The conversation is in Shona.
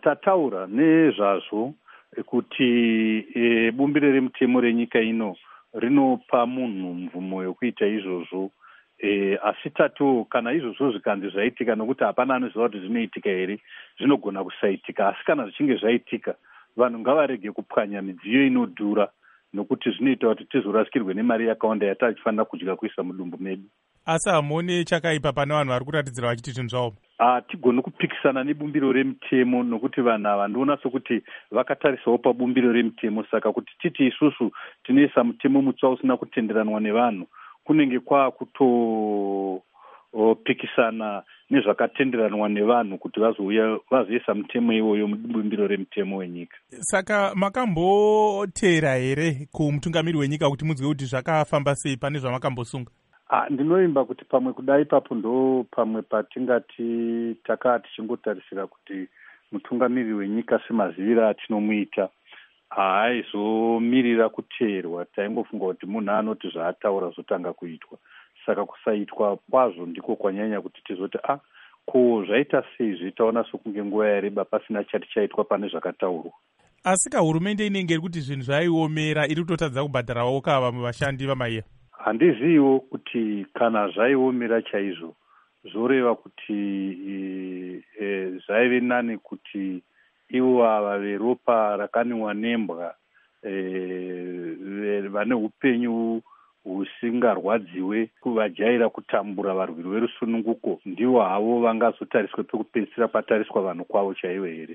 Tataura nezvazvo kuti bumbiro remutemo renyika ino rinopa munhu mvumo yokuita izvozvo. Asi tatiwo kana izvozvo zvikanzi zvaitika, nokuti hapana anoziva kuti zvinoitika here, zvinogona kusaitika, asi kana zvichinge zvaitika, vanhu ngavarege kupwanya midziyo inodhura, nokuti zvinoita kuti tizorasikirwe nemari yakawanda yatachifanira kudya kuisa mudumbu medu. Asi hamuone chakaipa pane vanhu vari kuratidzira vachiti zvinhu zvaoma? Hatigoni kupikisana nebumbiro remitemo, nokuti vanhu ava ndiona sokuti vakatarisawo pabumbiro remitemo. Saka kuti titi isusu tinoisa mutemo mutsva usina kutenderanwa nevanhu, kunenge kwakutopikisana nezvakatenderanwa nevanhu kuti vazouya vazoisa mutemo iwoyo mubumbiro remitemo wenyika. Saka makamboteera here kumutungamiri wenyika kuti munzwe kuti zvakafamba sei pane zvamakambosunga? Ndinovimba kuti pamwe kuda ipapo ndo pamwe patingati takaa tichingotarisira kuti mutungamiriri wenyika, semaziviro atinomuita, haaizomirira kuteerwa. Taingofunga kuti munhu anoti zvaataura zvotanga kuitwa, saka kusaitwa kwazvo ndiko kwanyanya kuti tizoti, a ko zvaita sei zve, taona sokunge nguva yareba pasina chati chaitwa pane zvakataurwa. Asi kahurumende inenge iri kuti zvinhu zvaiomera, iri kutotadza kubhadharawo ka vamwe vashandi, vaMahiya? Handiziviwo kuti kana zvaiomera chaizvo, zvoreva kuti zvaive nani kuti ivo ava veropa rakaniwa nembwa, vane upenyu husingarwadziwe, vajaira kutambura, varwiri verusununguko, ndivo havo vangazotariswe pekupedzisira patariswa vanhu kwavo chaivo here?